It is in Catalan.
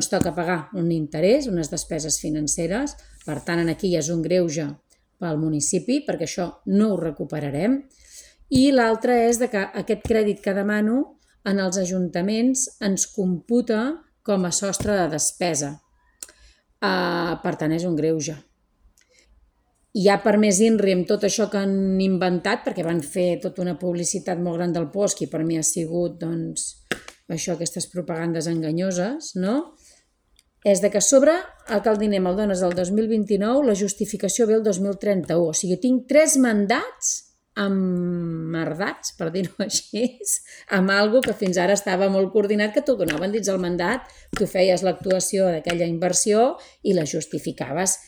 ens toca pagar un interès, unes despeses financeres, per tant, aquí ja és un greuge pel municipi, perquè això no ho recuperarem. I l'altre és que aquest crèdit que demano en els ajuntaments ens computa com a sostre de despesa. Per tant, és un greuge. I ja per més INRI amb tot això que han inventat, perquè van fer tota una publicitat molt gran del POSC i per mi ha sigut, doncs, això, aquestes propagandes enganyoses, no? És de que a sobre el diner me'l dones el 2029, la justificació ve el 2031. O sigui, tinc 3 mandats emmerdats, per dir-ho així, amb alguna que fins ara estava molt coordinat, que t'ho donaven dins el mandat, tu feies l'actuació d'aquella inversió i la justificaves